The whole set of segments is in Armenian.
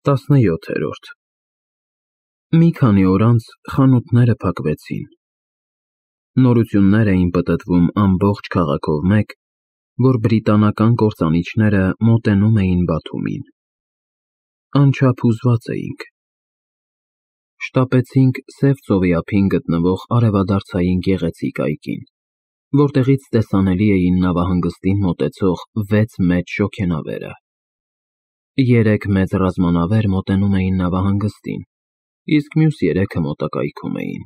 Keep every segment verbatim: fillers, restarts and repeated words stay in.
տասնյոթերորդ Մի քանի օր անց խանութները փակվեցին։ Նորություններ էին պտտվում ամբողջ քաղաքով մեկ, որ բրիտանական կործանիչները մոտենում էին Բաթումին։ Անչափ հուզված էինք։ Շտապեցինք Սև ծովի ափին գտնվող արևադարձային գեղեցիկ այգին, որտեղից տեսանելի էին նավահանգստին մոտեցող վեց մեծ շոգենավերը։ Երեք մեծ ռազմանավեր մոտենում էին նավահանգստին, իսկ մյուս երեքը մոտակայքում էին։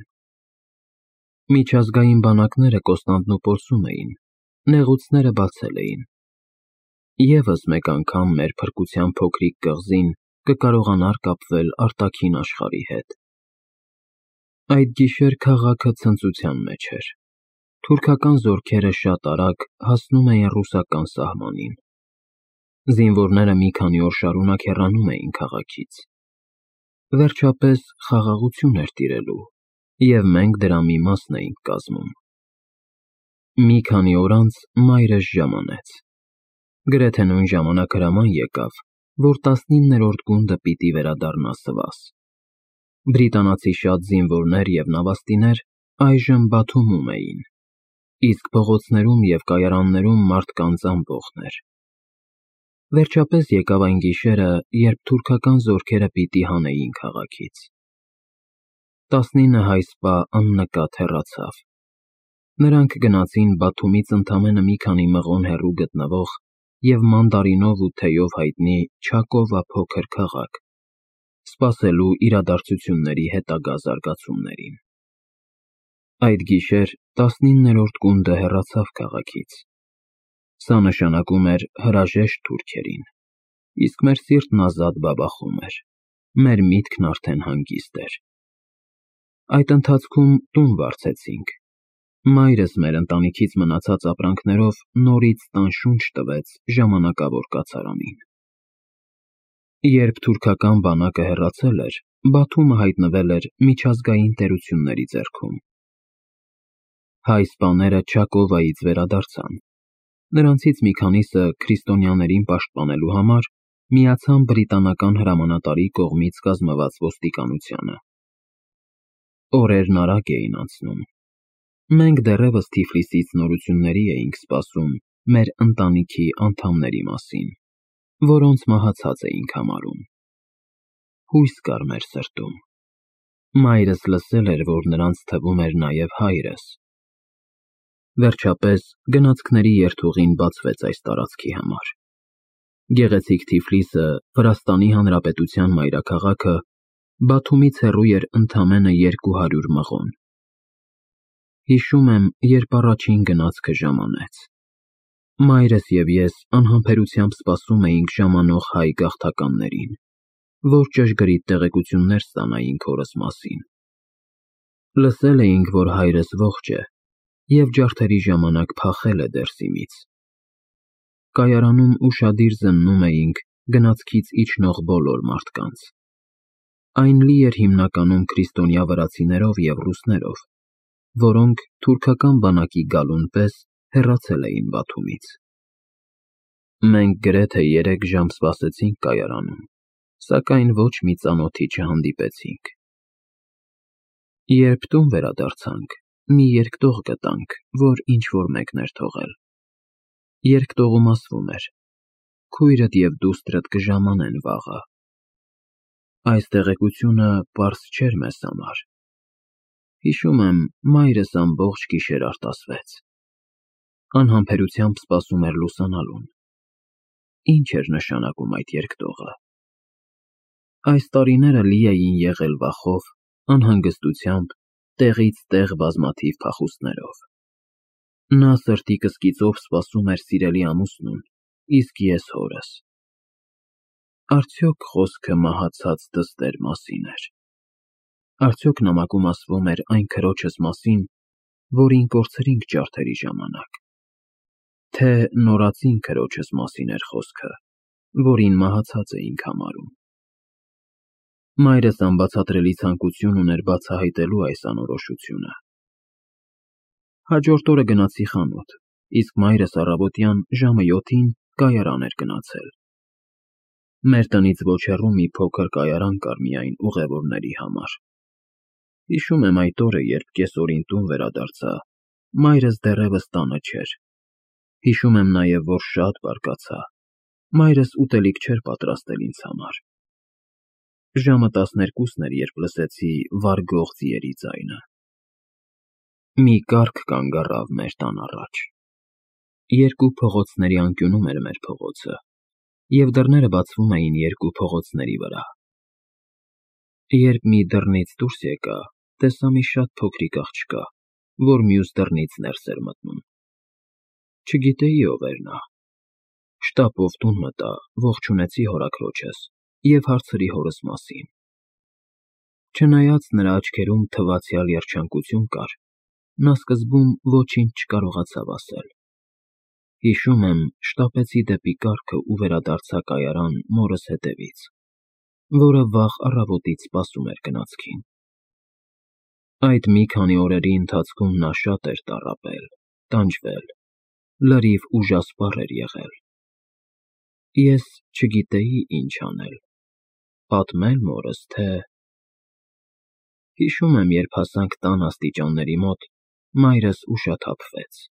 Միջազգային բանակները Կոստանդնուպոլսում էին, նեղուցները բացել էին։ Եվս մեկ անգամ մեր փրկության փոքրիկ կղզին կկարողանար կապվել արտաքին աշխարհի հետ։ Այդ գիշեր քաղաքը ցնծության մեջ էր։ Թուրքական զորքերը շատ արագ հասնում էին ռուսական սահմանին։ Զինվորները մի քանի օր շարունակ հեռանում էին քաղաքից։ Վերջապես խաղաղություն էր տիրելու, և մենք դրա մի մասն էինք կազմում։ Մի քանի օր անց մայրս ժամանեց։ Գրեթե նույն ժամանակ հրաման եկավ, որ տասնիններորդ գունդը պիտի վերադառնա Սվաս։ Բրիտանացի շատ զինվորներ և նավաստիներ այժմ Բաթումում էին, իսկ փողոցներում և կայարաններում մարդկանց ամբոխներ։ Վերջապես եկավ այն գիշերը, երբ թուրքական զորքերը պիտի հանեին քաղաքից։ Տասնինը հայ սպա աննկատ հեռացավ։ Նրանք գնացին Բաթումից ընդամենը մի քանի մղոն հեռու գտնվող և մանդարինով ու թեյով հայտնի Չակովա փոքր քաղաք, սպասելու իրադարձությունների հետագա զարգացումներին։ Այդ գիշեր տասնիններորդ գունդը հեռացավ քաղաքից։ Սա նշանակում էր հրաժեշտ թուրքերին, իսկ մեր սիրտն ազատ բաբախում էր, մեր միտքն արդեն հանգիստ էր։ Այդ ընթացքում տուն վարձեցինք։ Մայրս մեր ընտանիքից մնացած ապրանքներով նորից տան շունչ տվեց ժամանակավոր կացարանին։ Երբ թուրքական բանակը հեռացել էր, Բաթումը հայտնվել էր միջազգային տերությունների ձեռքում։ Հայ սպաները Չակովայից վերադարձան։ Նրանցից մի քանիսը քրիստոնյաներին պաշտպանելու համար միացան բրիտանական հրամանատարի կողմից կազմված ոստիկանությանը։ Օրերն արագ էին անցնում։ Մենք դեռևս Թիֆլիսից նորությունների էինք սպասում մեր ընտանիքի անդամների մասին, որոնց մահացած էինք համարում։ Հույս կար մեր սրտում։ Մայրս լսել էր, որ նրանց թվում էր նաև հայրս։ Վերջապես գնացքների երթուղին բացվեց այս տարածքի համար։ Գեղեցիկ Թիֆլիսը, Վրաստանի Հանրապետության մայրաքաղաքը, Բաթումից հեռու էր ընդամենը երկու հարյուր մղոն։ Հիշում եմ, երբ առաջին գնացքը ժամանեց։ Մայրս և ես անհամբերությամբ սպասում էինք ժամանող հայ գաղթականներին, որ ճշգրիտ տեղեկություններ ստանայինք հորս մասին։ Լսել էինք, որ հայրս ողջ է և ջարդերի ժամանակ փախել է Դերսիմից։ Կայարանում ուշադիր զննում էինք գնացքից իջնող բոլոր մարդկանց։ Այն լի էր հիմնականում քրիստոնյա վրացիներով և ռուսներով, որոնք թուրքական բանակի գալուն պես հեռացել էին Բաթումից։ Մենք գրեթե երեք ժամ սպասեցինք կայարանում, սակայն ոչ մի ծանոթի չհանդիպեցինք։ Երբ տուն վերադարձանք, մի երկտող գտանք, որ ինչ-որ մեկն էր թողել։ Երկտողում ասվում էր. «Քույրդ և դուստրդ կժամանեն վաղը»։ Այս տեղեկությունը պարզ չէր մեզ համար։ Հիշում եմ, մայրս ամբողջ գիշեր արտասվեց։ Անհամբերությամբ սպասում էր լուսանալուն։ Ինչ էր նշանակում այդ երկտողը։ Այս տարիները լի էին եղել վախով, անհանգստությամբ, տեղից տեղ բազմաթիվ փախուստներով։ Նա սրտի կսկիծով սպասում էր սիրելի ամուսնուն, իսկ ես հորս։ Արդյոք խոսքը մահացած դստեր մասին էր։ Արդյոք նամակում ասվում էր այն քրոջս մասին, որին կորցրինք ջարդերի ժամանակ։ Թե նորածին քրոջս մասին էր խոսքը, որին մահացած էինք համարում։ Մայրս անբացատրելի ցանկություն ուներ բացահայտելու այս անորոշությունը։ Հաջորդ օրը գնացի խանութ, իսկ մայրս առավոտյան ժամը յոթին կայարան էր գնացել։ Մեր տնից ոչ հեռու մի փոքր կայարան կար միայն ուղևորների համար։ Հիշում եմ այդ օրը, երբ կեսօրին տուն վերադարձա, մայրս դեռևս տանը չէր։ Հիշում եմ նաև, որ շատ բարկացա, մայրս ուտելիք չէր պատրաստել ինձ համար։ Ժամը տասներկուսն էր, երբ լսեցի վարգող ձիերի ձայնը։ Մի կառք կանգ առավ մեր տան առաջ։ Երկու փողոցների անկյունում էր մեր փողոցը, և դռները բացվում էին երկու փողոցների վրա։ Երբ մի դռնից դուրս եկա, տեսա մի շատ փոքրիկ աղջկա, որ մյուս դռնից ներս էր մտնում։ Չգիտեի ով էր նա։ Շտապով տուն մտա, ողջունեցի հորաքրոջս և հարցրի հորս մասին։ Չնայած նրա աչքերում թվացյալ երջանկություն կար, նա սկզբում ոչինչ չկարողացավ ասել։ Հիշում եմ, շտապեցի դեպի կառքը ու վերադարձա կայարան մորս հետևից, որը վաղ առավոտից սպասում էր գնացքին։ Այդ մի քանի օրերի ընթացքում նա շատ էր տառապել, տանջվել, լրիվ ուժասպառ էր եղել։ Ես չգիտեի ինչ անել, պատմե՞լ մորս, թե… Հիշում եմ, երբ հասանք տան աստիճանների մոտ, մայրս ուշաթափվեց։